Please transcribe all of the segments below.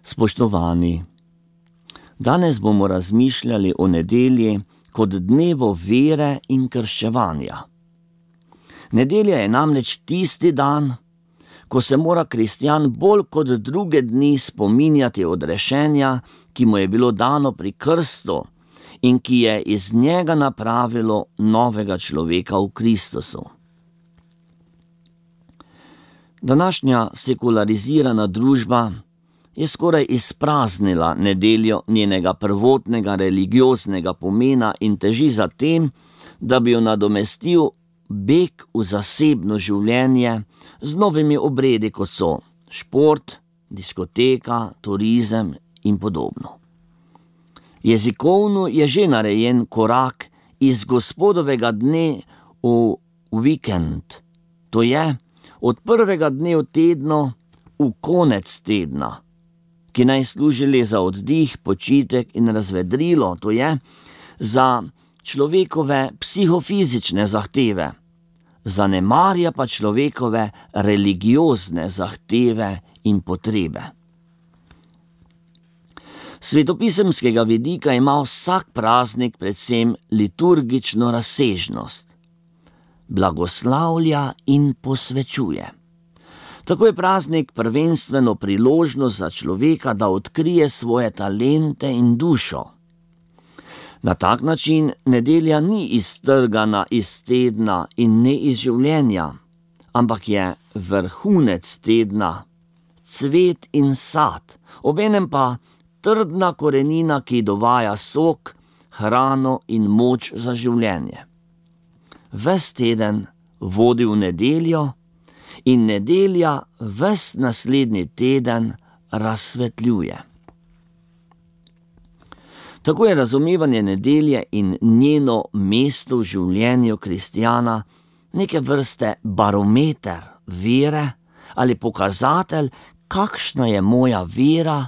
Spoštovani, danes bomo razmišljali o nedelji kot dnevu vere in krščevanja. Nedelja je namreč tisti dan, ko se mora kristjan bolj kot druge dni spominjati odrešenja, ki mu je bilo dano pri krstu in ki je iz njega napravilo novega človeka v Kristusu. Današnja sekularizirana družba je skoraj izpraznila nedeljo njenega prvotnega religioznega pomena in teži za tem, da bi jo nadomestil beg v zasebno življenje z novimi obredi, kot so šport, diskoteka, turizem in podobno. Jezikovno je že narejen korak iz Gospodovega dne v vikend, to je od prvega dne v tednu v konec tedna, ki naj služi le za oddih, počitek in razvedrilo, to je za človekove psihofizične zahteve, zanemarja pa človekove religiozne zahteve in potrebe. Svetopisemskega vidika ima vsak praznik predvsem liturgično razsežnost. Blagoslavlja in posvečuje. Tako je praznik prvenstveno priložnost za človeka, da odkrije svoje talente in dušo. Na tak način nedelja ni iztrgana iz tedna in ne iz življenja, ampak je vrhunec tedna, cvet in sad, obenem pa trdna korenina, ki dovaja sok, hrano in moč za življenje. Ves teden vodi v nedeljo in nedelja ves naslednji teden razsvetljuje. Tako je razumevanje nedelje in njeno mesto v življenju kristjana neke vrste barometer vere ali pokazatelj, kakšna je moja vera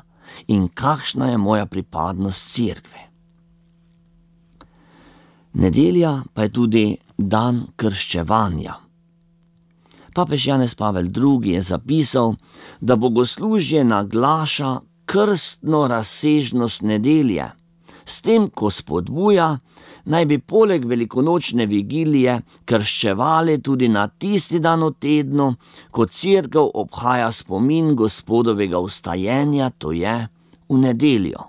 in kakšna je moja pripadnost cerkvi. Nedelja pa je tudi dan krščevanja. Papež Janez Pavel II. Je zapisal, da bogoslužje naglaša krstno razsežnost nedelje, s tem, ko spodbuja, naj bi poleg velikonočne vigilije krščevali tudi na tisti dan v tednu, ko cerkev obhaja spomin Gospodovega vstajenja, to je v nedeljo.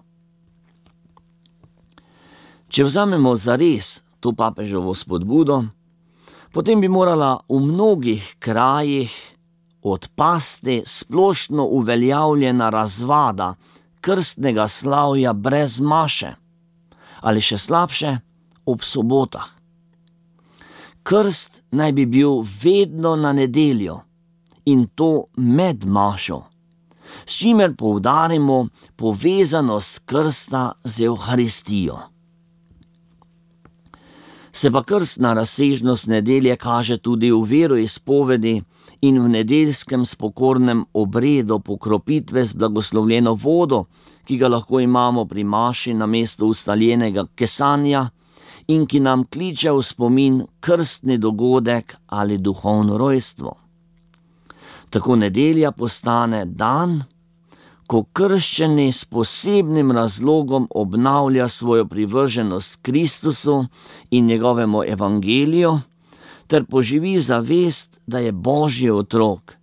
Če vzamemo zares to papeževo spodbudo, potem bi morala v mnogih krajih odpasti splošno uveljavljena razvada krstnega slavja brez maše, ali še slabše, ob sobotah. Krst naj bi bil vedno na nedeljo in to med mašo, s čimer poudarimo povezanost krsta z Evharistijo. Se pa krstna razsežnost nedelje kaže tudi v veroizpovedi in v nedeljskem spokornem obredu pokropitve z blagoslovljeno vodo, ki ga lahko imamo pri maši namesto ustaljenega kesanja in ki nam kliče v spomin krstni dogodek ali duhovno rojstvo. Tako nedelja postane dan, ko krščeni s posebnim razlogom obnavlja svojo privrženost Kristusu in njegovemu evangeliju, ter poživi zavest, da je Božji otrok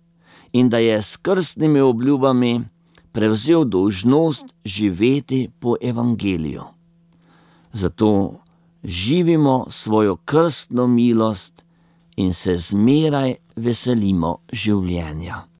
in da je s krstnimi obljubami prevzel dolžnost živeti po evangeliju. Zato živimo svojo krstno milost in se zmeraj veselimo življenja.